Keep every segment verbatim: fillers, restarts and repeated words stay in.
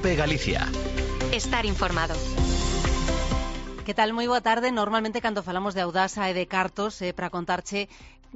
COPE Galicia. Estar informado. Que tal? Moi boa tarde. Normalmente cando falamos de Audasa e de cartos é eh, para contarche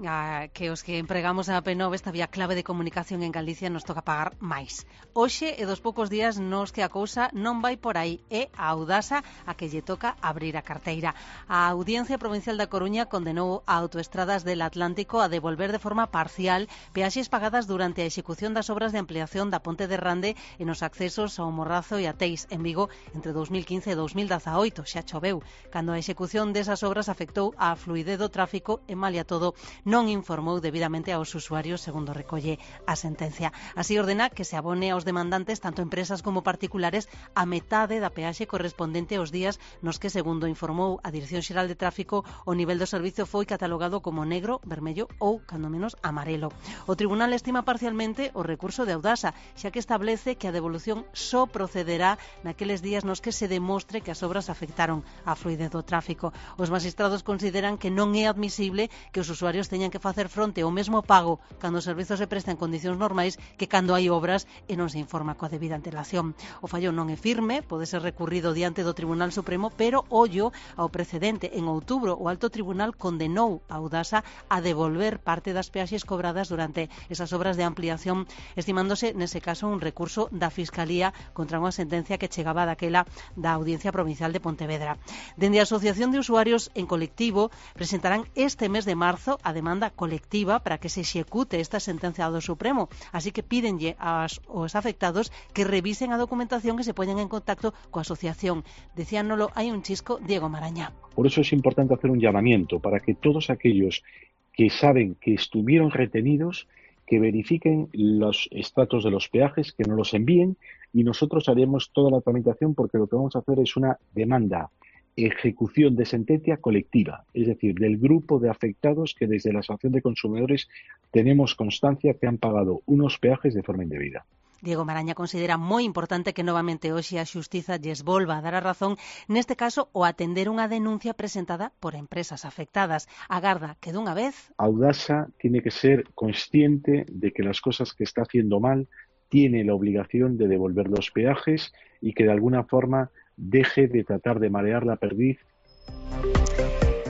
a, que os que empregamos a P nove esta vía clave de comunicación en Galicia nos toca pagar máis. Hoxe e dos poucos días nos que a cousa non vai por aí. É a Audasa a que lle toca abrir a carteira. A Audiencia Provincial da Coruña condenou a Autoestradas del Atlántico a devolver de forma parcial peaxes pagadas durante a execución das obras de ampliación da Ponte de Rande e nos accesos ao Morrazo e a Teis en Vigo entre dous mil quince e dous mil dezaoito. Xa choveu cando a execución desas obras afectou a fluidez do tráfico e malia todo non informou debidamente aos usuarios, segundo recolle a sentencia. Así ordena que se abone aos demandantes, tanto empresas como particulares, a metade da peaxe correspondente aos días nos que, segundo informou a Dirección Xeral de Tráfico, o nivel do servicio foi catalogado como negro, vermello ou, cando menos, amarelo. O tribunal estima parcialmente o recurso de Audasa, xa que establece que a devolución só procederá naqueles días nos que se demostre que as obras afectaron a fluidez do tráfico. Os magistrados consideran que non é admisible que os usuarios teñan que facer fronte ao mesmo pago cando os servizos se prestan en condicións normais que cando hai obras e non se informa coa debida antelación. O fallo non é firme, pode ser recurrido diante do Tribunal Supremo, pero ollo ao precedente. En outubro, o Alto Tribunal condenou a Audasa a devolver parte das peaxes cobradas durante esas obras de ampliación, estimándose nese caso un recurso da Fiscalía contra unha sentencia que chegaba daquela da Audiencia Provincial de Pontevedra. Dende a Asociación de Usuarios en Colectivo presentarán este mes de marzo a demanda colectiva para que se execute esta sentencia do Supremo, así que pídenlle aos, aos afectados que revisen a documentación e se poñan en contacto coa asociación. Decíanolo, hai un chisco, Diego Marañá. Por eso es importante hacer un llamamiento para que todos aquellos que saben que estuvieron retenidos, que verifiquen los extractos de los peajes, que nos los envíen y nosotros haremos toda la tramitación, porque lo que vamos a hacer es una demanda, ejecución de sentencia colectiva, es decir, del grupo de afectados que desde la Asociación de Consumidores tenemos constancia que han pagado unos peajes de forma indebida. Diego Maraña considera moi importante que novamente hoxe a Xustiza lles volva a dar a razón, neste caso o atender unha denuncia presentada por empresas afectadas. Agarda que dunha vez Audasa tiene que ser consciente de que las cosas que está haciendo mal tiene la obligación de devolver los peajes y que de alguna forma deje de tratar de marear la perdiz.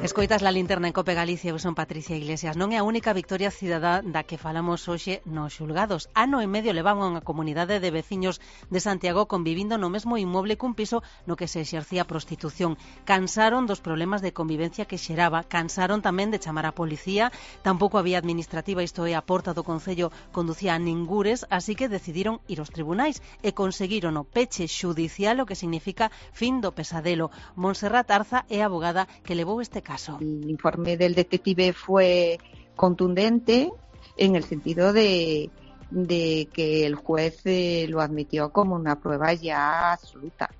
Escoitas la linterna en COPE Galicia, eu son Patricia Iglesias. Non é a única victoria cidadá da que falamos hoxe nos xulgados. Ano e medio levaban unha comunidade de veciños de Santiago convivindo no mesmo inmoble cun piso no que se exercía prostitución. Cansaron dos problemas de convivencia que xeraba, cansaron tamén de chamar a policía, tampouco había administrativa, isto é, a porta do Concello conducía a ningures, así que decidiron ir aos tribunais e conseguiron o peche xudicial, o que significa fin do pesadelo. Montserrat Arza é a abogada que levou este caso. El informe del detective fue contundente en el sentido de, de que el juez eh, lo admitió como una prueba ya absoluta.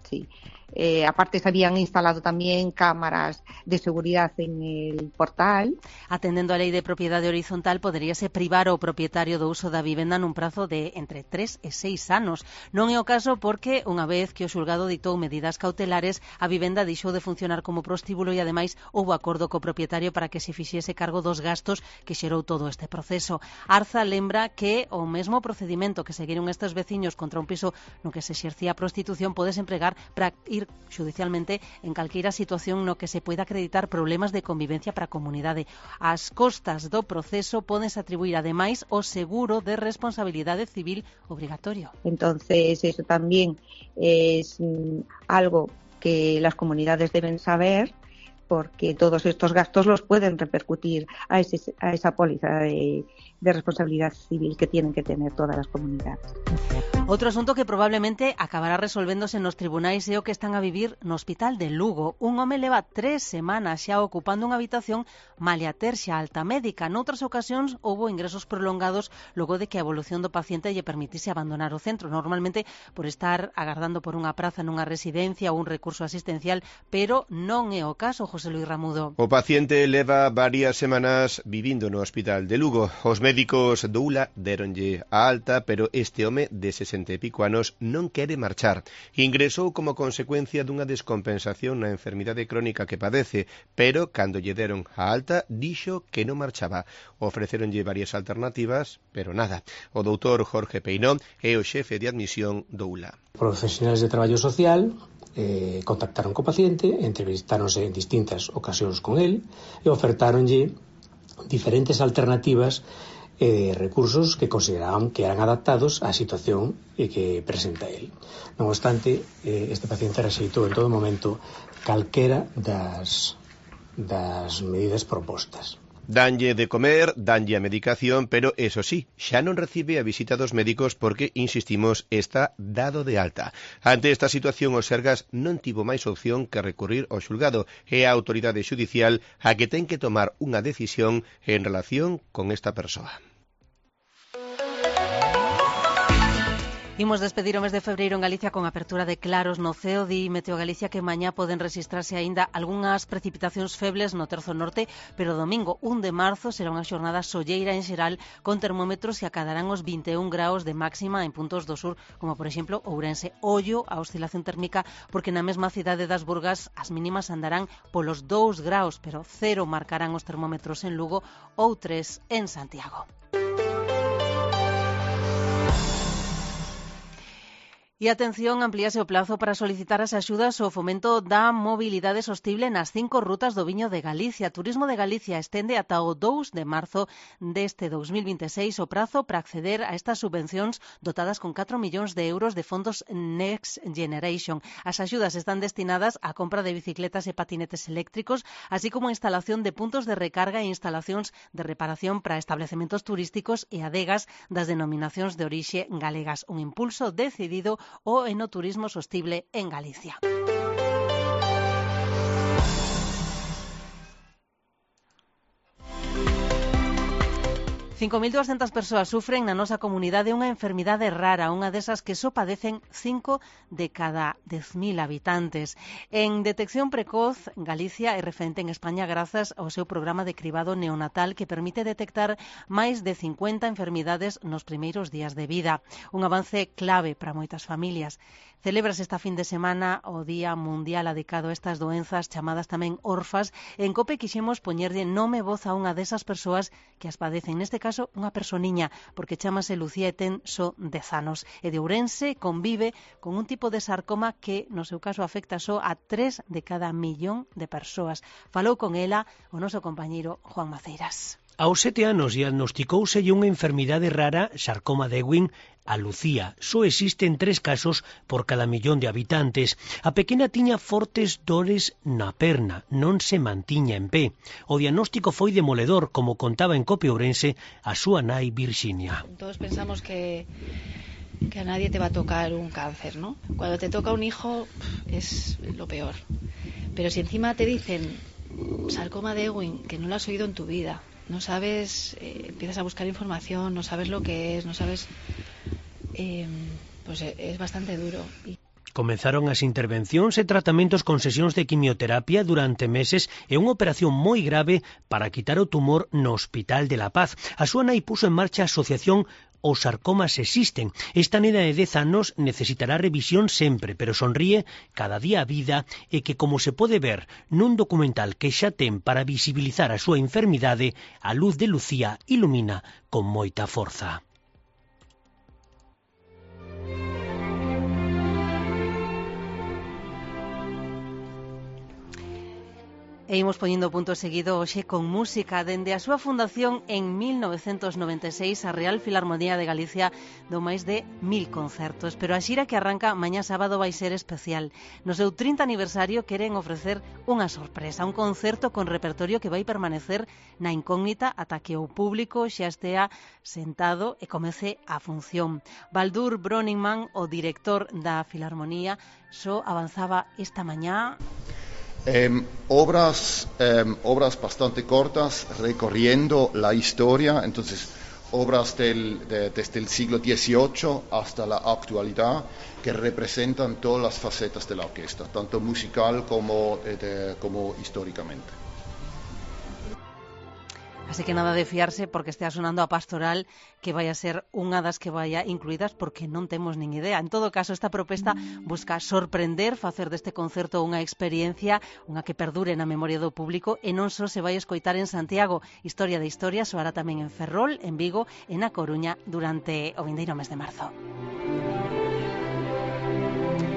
Sí. Eh, aparte se habían instalado también cámaras de seguridad en el portal. Atendendo a lei de propiedade horizontal, poderíase privar o propietario do uso da vivenda nun prazo de entre tres e seis anos. Non é o caso porque, unha vez que o xulgado ditou medidas cautelares, a vivenda deixou de funcionar como prostíbulo e, ademais, houbo acordo co propietario para que se fixese cargo dos gastos que xerou todo este proceso. Arza lembra que o mesmo procedimento que seguiron estes veciños contra un piso no que se exercía a prostitución podes empregar para ir xudicialmente en calqueira situación no que se poida acreditar problemas de convivencia para a comunidade. As costas do proceso podense atribuir ademais o seguro de responsabilidade civil obrigatorio. Entonces, eso también es mm, algo que las comunidades deben saber, porque todos estos gastos los pueden repercutir a, ese, a esa póliza de, de responsabilidad civil que tienen que tener todas las comunidades. Outro asunto que probablemente acabará resolvéndose nos tribunais é o que están a vivir no Hospital de Lugo. Un home leva tres semanas xa ocupando unha habitación malia ter xa alta médica. Noutras ocasións houbo ingresos prolongados logo de que a evolución do paciente lle permitise abandonar o centro, normalmente por estar agardando por unha praza nunha residencia ou un recurso asistencial, pero non é o caso, José Luis Ramudo. O paciente leva varias semanas vivindo no Hospital de Lugo. Os médicos do U L A deronlle a alta, pero este home de sesenta e pico anos non quere marchar. Ingresou como consecuencia dunha descompensación na enfermidade crónica que padece, pero cando lle deron a alta, dixo que non marchaba. Ofreceronlle varias alternativas, pero nada. O doutor Jorge Peinó é o xefe de admisión do U L A. Profesionales de traballo social eh, contactaron co paciente, entrevistáronse en distintas ocasións con el e ofertáronlle diferentes alternativas e eh, recursos que consideraban que eran adaptados á situación e que presenta el. Non obstante, eh, este paciente rexeitou en todo momento calquera das, das medidas propostas. Danlle de comer, danlle a medicación, pero eso sí, xa non recibe a visita dos médicos porque, insistimos, está dado de alta. Ante esta situación, o Sergas non tivo máis opción que recurrir ao xulgado e a autoridade xudicial a que ten que tomar unha decisión en relación con esta persoa. Imos despedir o mes de febreiro en Galicia con apertura de claros no ceo. Di Meteo Galicia que mañá poden registrarse aínda algunhas precipitacións febles no terzo norte, pero domingo un de marzo será unha xornada solleira en xeral con termómetros que acadarán os vinte e un graus de máxima en puntos do sur, como por exemplo Ourense. Ollo a oscilación térmica porque na mesma cidade das Burgas as mínimas andarán polos dous graus, pero cero marcarán os termómetros en Lugo ou tres en Santiago. E atención, amplíase o plazo para solicitar as axudas ao fomento da mobilidade sostible nas cinco rutas do viño de Galicia. Turismo de Galicia estende ata o dous de marzo deste dous mil vinte e seis o prazo para acceder a estas subvencións dotadas con catro millóns de euros de fondos Next Generation. As axudas están destinadas á compra de bicicletas e patinetes eléctricos, así como a instalación de puntos de recarga e instalacións de reparación para establecementos turísticos e adegas das denominacións de orixe galegas. Un impulso decidido o enoturismo sostible en Galicia. cinco mil doscientas persoas sufren na nosa comunidade unha enfermidade rara, unha desas que só padecen cinco de cada dez mil habitantes. En detección precoz, Galicia é referente en España grazas ao seu programa de cribado neonatal que permite detectar máis de cincuenta enfermidades nos primeiros días de vida. Un avance clave para moitas familias. Celebras esta fin de semana o Día Mundial dedicado a estas doenzas chamadas tamén orfas. En COPE quixemos poñerlle nome e voz a unha desas persoas que as padecen. Neste caso, unha personiña, porque chamase Lucía e ten só dez anos. E de Ourense convive con un tipo de sarcoma que, no seu caso, afecta só a tres de cada millón de persoas. Falou con ela o noso compañeiro Juan Maceiras. Aos sete anos diagnosticouselle unha enfermidade rara, sarcoma de Ewing, a Lucía. Só existen tres casos por cada millón de habitantes. A pequena tiña fortes dores na perna, non se mantiña en pé. O diagnóstico foi demoledor, como contaba en COPE Ourense a súa nai Virxinia. Todos pensamos que, que a nadie te va a tocar un cáncer, ¿no? Cuando te toca un hijo es lo peor. Pero si encima te dicen sarcoma de Ewing, que no lo has oído en tu vida, no sabes, eh, empiezas a buscar información, no sabes lo que es, no sabes, eh, pues es bastante duro. Y... Comenzaron as intervencións e tratamentos con sesións de quimioterapia durante meses e unha operación moi grave para quitar o tumor no Hospital de la Paz. A súa nai puso en marcha a asociación Os sarcomas existen. Esta nena de dez anos necesitará revisión sempre, pero sonríe cada día a vida e que, como se pode ver nun documental que xa ten para visibilizar a súa enfermidade, a luz de Lucía ilumina con moita forza. E imos poñendo punto seguido hoxe con música. Dende a súa fundación en mil novecentos noventa e seis, a Real Filarmonía de Galicia dou máis de mil concertos, pero a xira que arranca mañá sábado vai ser especial. No seu trinta aniversario queren ofrecer unha sorpresa, un concerto con repertorio que vai permanecer na incógnita ata que o público xa estea sentado e comece a función. Baldur Bröningman, o director da Filarmonía, só avanzaba esta mañá. Eh, obras, eh, obras bastante cortas, recorriendo la historia, entonces obras del, de, desde el siglo dieciocho hasta la actualidad, que representan todas las facetas de la orquesta, tanto musical como, eh, de, como históricamente. Así que nada de fiarse porque estea sonando a Pastoral que vai a ser unha das que vai a incluídas porque non temos nin idea. En todo caso, esta proposta busca sorprender, facer deste concerto unha experiencia, unha que perdure na memoria do público e non só se vai escoitar en Santiago. Historia de Historia soará tamén en Ferrol, en Vigo e na Coruña durante o vindeiro mes de marzo.